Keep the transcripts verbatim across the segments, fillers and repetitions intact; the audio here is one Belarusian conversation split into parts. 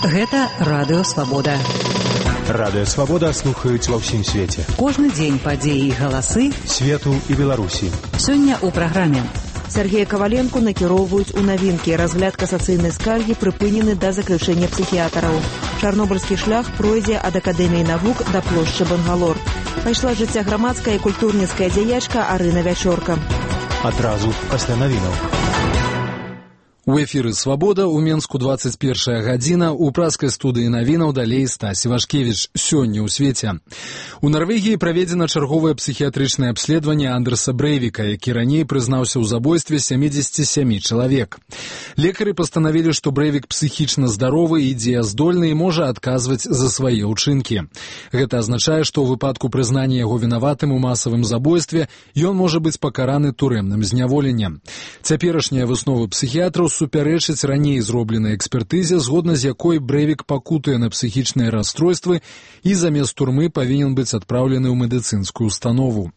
Гэта Радыё Свабода. Радыё Свабода слухаюць ва ўсім свеце. Кожны дзень падзеі і галасы свету і Беларусі. Сёння ў праграме. Сергея Коваленко накіроўваюць у навінкі. Разгляд касацыйнай скаргі прыпынены да заключэння псіхіятараў. Чарнобыльскі шлях пройдзе ад Акадэміі навук да плошчы Бангалор. Пайшла жыцця грамадская і культурніцкая дзеячка Арына Вячорка. Адразу пасля навінаў. У эфіры «Свабода» у Менску двадцать первая гадзіна, у праскай студыі навінаў далей Стась Івашкевіч. Сёння ў свеце. У Нарвегіі праведзена чарговае псіхіятрычнае абследаванне Андерса Брэйвіка, які раней прызнаўся ў забойстве семидесяти семи чалавек. Лекары пастанавілі, што Брэйвік псіхічна здаровы і дзеяздольны і можа адказваць за свае ўчынкі. Гэта азначае, што ў выпадку прызнання яго вінаватым у масавым забойстве ён можа быць пакараны турэмным зняволеннем. Цяперашнія высновы псіхіятраў супярэчыць раней зробленай экспертызе, згодна з якой Брэйвік пакутуе на псіхічныя расстройствы і замест турмы павінен быць адпраўлены ў медыцынскую установу.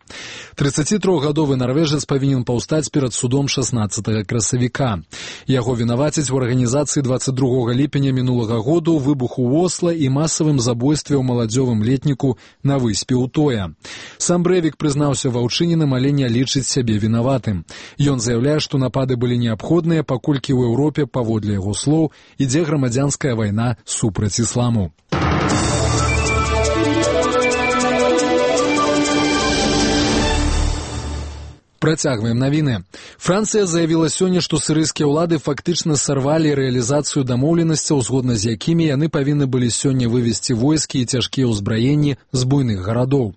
тридцатитрохгадовы нарвежец павінен паўстаць перад судом шаснаццатага красавіка. Яго вінавацяць у арганізацыі двадцать другога ліпеня мінулага году, выбуху ў Осла і масавым забойстве ў маладзёвым летніку на выспе Утоя. Сам Брэйвік прызнаўся ва ўчыненым, але не лічыць сябе вінаватым. Ён заяўляе, што напады былі неабходныя, паколькі ў Еўропе, паводле яго слоў, ідзе грамадзянская вайна супраць ісламу. Працягваем навіны. Францыя заявіла сёння, што сірыйскія ўлады фактычна сарвалі рэалізацыю дамоўленасцяў, згодна з якімі яны павінны былі сёння вывесці войскі і цяжкія ўзбраенні з буйных гарадоў.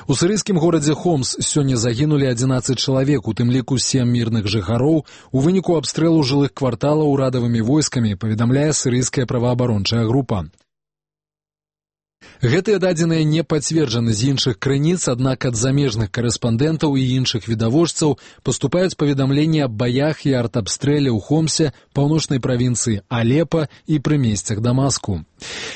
У сірыйскім горадзе Хомс сёння загінулі адзінаццаць чалавек, у тым ліку сем мірных жыхароў, у выніку абстрэлу жылых кварталаў урадавымі войскамі, паведамляе сірыйская праваабарончая група. Гэтыя дадзеныя не пацверджаны з іншых крыніц, аднак ад замежных карэспандэнтаў і іншых відавочцаў паступаюць паведамленні аб баях і артабстрэле ў Хомсе, паўночнай правінцыі Алепа і прымесцях Дамаску.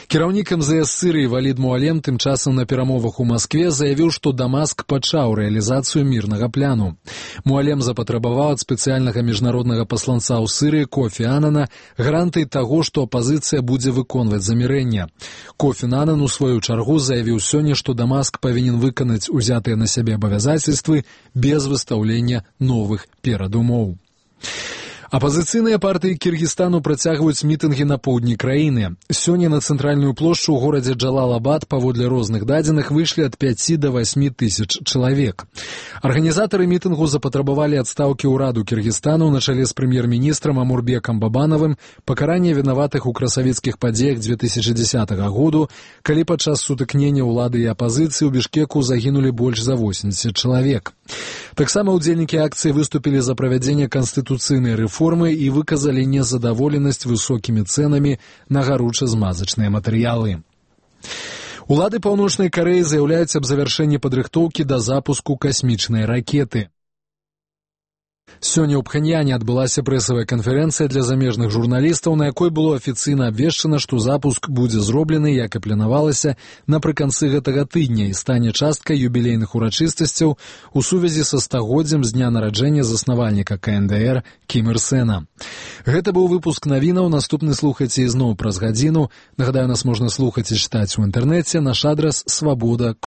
Кіраўнік эм зэ эс Сірыі Валід Муалем тым часам на перамовах у Маскве заявіў, што Дамаск пачаў рэалізацыю мірнага пляну. Муалем запатрабаваў ад спецыяльнага міжнароднага пасланца ў Сірыі Кофі Анана гарантый таго, што апазіцыя будзе выконваць замірэнне. Кофі Анан у сваю чаргу заявіў сёння, што Дамаск павінен выканаць узятыя на сябе абавязацельствы без выстаўлення новых перадумоў. Апазіцыйныя партыі Кіргізстану працягваюць мітынгі на поўдні краіны. Сёння на цэнтральную плошчу ў горадзе Джалалабад паводле розных дадзеных выйшлі ад пяці да васьмі тысяч чалавек. Арганізатары мітынгу запатрабавалі адстаўкі ўраду Кіргізстану на чале з прэм'ер-міністрам Амурбекам Бабанавым, пакарання вінаватых у красавіцкіх падзеях две тысячи дзесятага году, калі падчас сутыкнення ўлады і апазіцыі ў Бішкеку загінулі больш за восемьдесят чалавек. Таксама ўдзельнікі акцыі выступілі за правядзенне канстытуцыйнай рэформы і выказалі незадаволенасць высокімі цэнамі на гаруча-змазачныя матэрыялы. Улады Паўночнай Карэі заяўляюць аб завяршэнні падрыхтоўкі да запуску касмічнай ракеты. Сёння ў Пхэньяне адбылася прэсавая канферэнцыя для замежных журналістаў, на якой было афіцыйна абвешчана, што запуск будзе зроблены, як і планавалася, напрыканцы гэтага тыдня і стане часткай юбілейных урачыстасцяў у сувязі са стагоддзям з дня нараджэння заснавальніка ка эн дэ эр Кім Ір Сэна. Гэта быў выпуск навінаў, наступны слухайце ізноў праз гадзіну. Нагадаю, нас можна слухаць і чытаць у інтэрнэце, наш адрас свабода